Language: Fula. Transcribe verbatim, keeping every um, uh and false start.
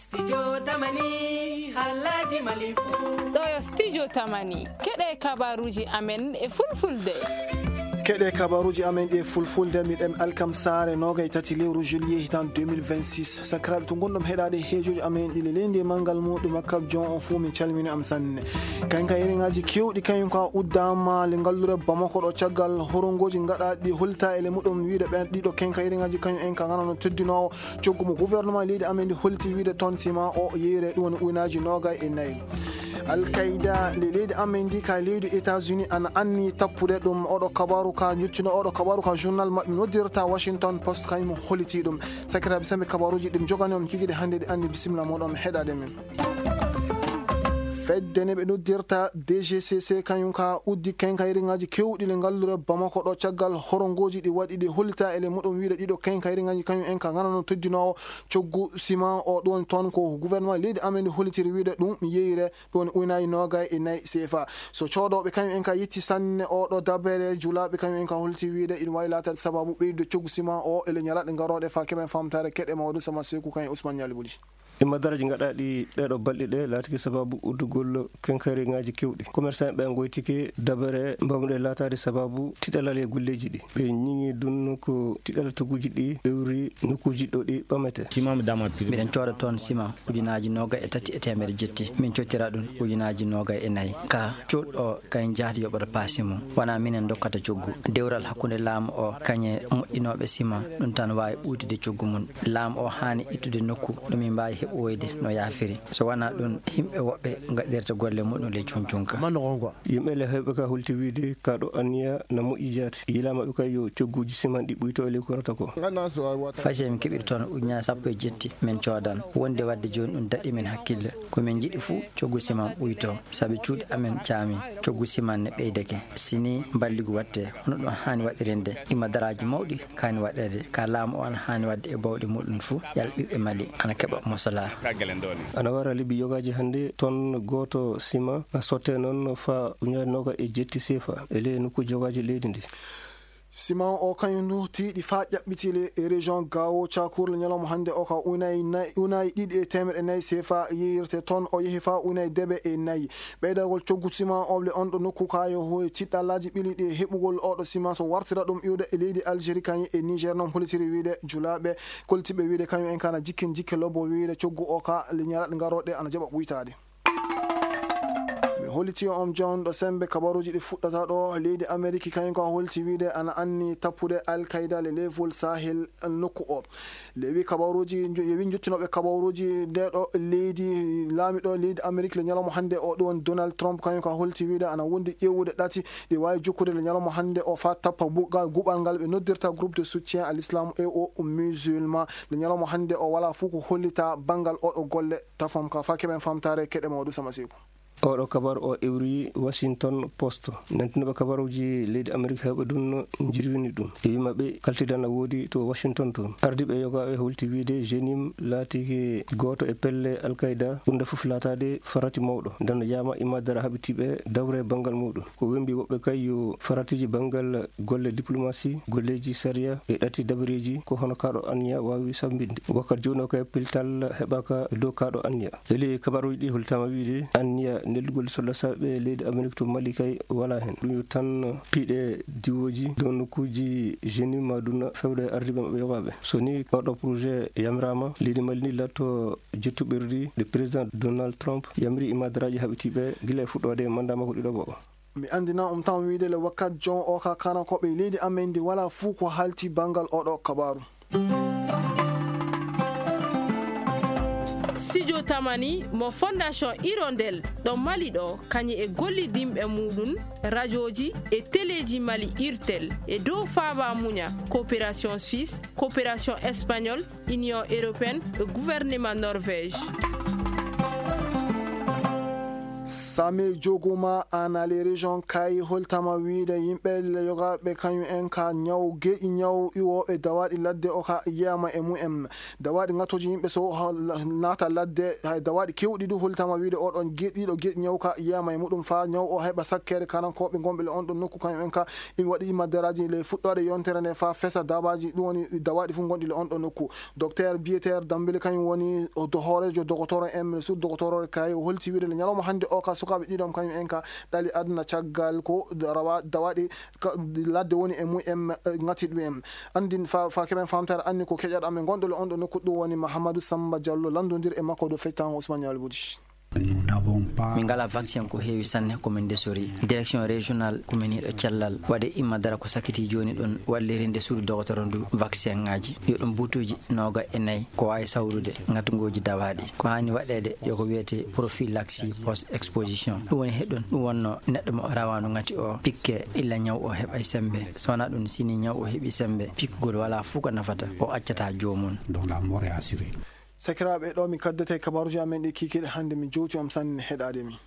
Studio Tamani, halaji malifu. Ɗo yo Studio Tamani, keɗe kabaruji amen e fulfulde. Keɗe kabaruji amen ɗe fulfulde, miɗen alkam saare nogay tati lewru juillet hitan deux mille vingt-six. Sakiraaɓe to ngonɗon heɗaade heejoji amen ɗi le leydi e manngal muɗum, makkab jon on fuu min calmini am sanne. Kanka iriŋaaji keewɗi kañum ka uddama le ngalluure Bamako ɗo caggal horongoji gaɗaaɗi holta e le muɗum wiide ɓen ɗiɗo kenka iriŋaaji kañum en ka ganano teddinoowo coggu mo gouvernement leydi amen ndi holti wiide toon sima o yeeyre ɗum woni uynaaji noogay e nayi. Al-Qaida le leydi amen ndi ka leydi États-Unis ana anni tappude ɗum. Oɗo kabaru ka jottino, oɗo kabaru ka journal maɓɓe noddirta Washington Post kañum holiti ɗum. Sakiraaɓe, sembe kabaruji ɗum jogani on kikide hannde ɗi anni, bisimilla moɗon heɗaade men. Fedde ne ɓe noddirta D G C C kañum ka uddi kenkayriŋaaji keewɗi le ngalluure Bamako ɗo caggal horongoji ɗi waɗi ɗi hollita e le muɗum wiide ɗiɗo kenkayriŋaaji kañum en ka ganano teddinoowo coggu siman o ɗum toon ko gouvernement leydi amen ndi hollitiri wiide ɗum yeeyre ɗum woni uynaaji noogay e nayi C F A. So coodooɓe kañum en ka yetti sanne oɗo dabere julaaɓe kañum en ka holliti wiide ina waawi laataade sababu ɓeydude coggu siman o e le ñalaaɗe garooɗe fa keɓen famtaare keɗe mawɗo sama seku kañum Ousmane Ñaali Buli. Imma daraaji gaɗaaɗi ɗeeɗo balɗe ɗe laatiki sababu uddugol kenkayriŋaaji keewɗi. Commerçant ɓe ngoytike dabere mbawɗe laataade sababu tiɗalal e golleeji ɗi. Ɓe ñiŋi ɗum ko tiɗalal tugguuji ɗi ewri nokkuuji ɗo ɗi ɓamete. Miɗen cooda toon sima ujunaaji noogay e tati e teemedde jetti. Min cottira ɗum ujunaaji noogay e nayi. Ka coodɗo o kañ jahdi yoɓata paasi mum. Wonaa minen ndokkata coggu. Dewral hakkunde laamu o kañe moƴƴinooɓe sima ɗum tan waawi ɓuytude coggu mum. Laamu o haani ittude nokku ɗo min mbaawi heɓoyde no yaafiri. So wonaa ɗum, yimɓe woɓɓe ngaɗirta golle muɗum ley cuncunka. Yimɓe le heewɓe ka holti wiide ka ɗo anniya na moƴƴi jaati. Yilaama ɓe kay yo cogguuji siman ɗi ɓuyto e ley korata ko. Fay so min keɓiri toon ujunaaji sappo e jetti min coodan. Wonde waɗde jooni ɗum daɗi min hakkille. Ko min njiɗi fuu coggu siman ɓuyto. Sabi cuuɗi amen caami. Coggu siman ne ɓeydake. Si ni mballigu watte, hono ɗum haani waɗirinde. Ima daraaji mawɗi kaani waɗeede. Ka laamu o ana haani waɗde e bawɗe muɗum fuu, yal ɓiɓɓe Mali ana keɓa mosola. Ana wara lebbi yogaaji hannde, ton gooto sima sotte noon fa ujunaaji noogay e jetti sefa e ley nokkuuji yogaaji leydi ndi. Siman o kañum ndu tiiɗi faa ƴaɓɓiti le e région Gao Cakuur le ñalawma hannde o ka unayi nayi, unayi ɗiɗi e teemeɗe nayi sefa yeeyirte toon, o yehi faa unayi deɓe e nayi. Ɓeydagol coggu siman o le on ɗo nokku ka yo hooy tiɗɗallaaji ɓiliiɗi e heɓugol oɗo siman so wartira ɗum iwde e leydi Algérie kañum e Niger noon holitiri wiide julaaɓe koltiɓe wiide kañum en kana jikkin jikke lobbo wiide coggu o ka le ñalaɗe garooɗe ana jaɓa ɓuytaade. Mi holliti on jon ɗo sembe kabaruuji ɗi fuɗɗata ɗo leydi Ameriki kañum ka holti wiide ana anni tappude Al Qaida le leefol Sahel nokku o. Lewi kabaruuji, yewi jottinooɓe kabaruuji nde ɗo leydi, laamiɗo leydi Ameriki le ñalawma hannde o ɗum woni Donald Trump, kañum ka holti wiide ana wondi ƴeewude ɗati ɗi waawi jokkude le ñalawma hannde o faa tappa bugal, guɓal ngal ɓe noddirta groupe de soutien à l'islam et aux musulmans. Le ñalawma hannde o wala fuu ko hollita banngal oɗo golle tafam ka faa keɓen famtaare keɗe mawɗo sama seeku. Oɗo kabar o iwri Washington Post. Nantinooɓe kabaruuji leydi Amerik heewɓe ɗum no njirwini ɗum. E wii maɓɓe kaltidan na woodi to Washington toon. Ardiiɓe yogaaɓe holti wiide Jenim laatike gooto e pelle Al Qaida, ɓurnde fof laataade farati mawɗo. Nden no yaama imma dara haɓitiiɓe dawre banngal muɗum. Ko wembi woɓɓe kay yo faratiiji banngal golle diplomasi, golleeji sariya e ɗati dabareeji ko hono kaaɗo anniya waawi sambinde. Wakkati jooni o kay piltal heɓaaka e dow kaaɗo anniya. Eli kabaruuji ɗi holtaama wiide anniya neldugol solla saaɓe leydi Amerik to Mali kay walaa heen. Ɗum yo tan piiɗe diwooji dow nokkuuji Jenim ma ɗum fewde ardiiɓe maɓɓe yogaaɓe. So ni oɗo projet yamiraama, leydi Mali ni latto jettuɓirdi nde président Donald Trump yamiri e madaraaji haɓitiiɓe gila e fuɗɗoode mandat makko ɗiɗaɓo o. Mi anndina on tan wiide le wakkat jon o ka kanankooɓe leydi amen ndi walaa fuu ko haalti banngal oɗo kabaaru. Studio Tamani mo Fondation Hirondelle ɗo Mali ɗo, kañum e gollidinɓe muɗum, rajooji e teleeji Mali, Irtel, e dow Faaba Muña, Coopération Suisse, Coopération Espagnole, Union Européenne e Gouvernement Norvège. Same joguma ana les régions kay holtama wiide yimɓe le yogaaɓe kañum en ka ñaw geƴi ñaw iwooɓe dawaaɗi ladde o ka yiyama e mumen. Dawaaɗi ŋattoji yimɓe so ha-, naata ladde, hay dawaaɗi kewɗi du holtama wiide oɗon ge-, ɗiɗo geƴi ñaw ka yiyama e muɗum fa ñaw o heɓa sakkeede kanankooɓe gonɓe le on ɗon nokku kañum en ka imi waɗi imma daraaji le fuɗɗoode yontere nde fa fesa dabaji ɗum woni dawaaɗi fof gonɗi le on ɗon nokku. Docteur Bieter Dambele kañum woni o do-, hooreejo dogotoro en sur dogotoro kay o holti wiide le ñalawma hannde o ka sukaaɓe ɗiɗon kañum en ka ɗali aduna caggal ko rawa dawaaɗi ka ladde woni e mumen, eh, ŋati ɗum en. Anndin fa, fa keɓen famtare anni ko keƴaɗo amen gonɗo le on ɗo nokku ɗum woni Mahamadou Samba Diallo lanndondir e makko do fectango Ousmane Yalbouti. Nous n'avons pas Min ngala vaccin ko heewi sanne ko min ndesori. Direction régionale ko min yiɗo cellal waɗe imma dara ko sakkiti jooni ɗon wallirinde suudu dogotoro ndu vaccin ngaji yo ɗum butuuji nooga e nayi ko waawi sawrude ngatngooji dawaaɗi. Ko haani waɗeede yo ko wiyetee prophylaxie post exposition. Ɗum woni heɗon ɗum wonno neɗɗo mo rawaandu ngati o pikke illa ñaw o heɓay sembe. So wonaa ɗum, sini ñaw o heɓi sembe, pikkugol walaa fuu ko nafata, o accata joomum. Dont la mort est assurée. Sakiraaɓe, ɗo mi kaddete kabaruuji amen ɗi kiikiiɗe hannde, mi jowti on sanne heɗaade mi.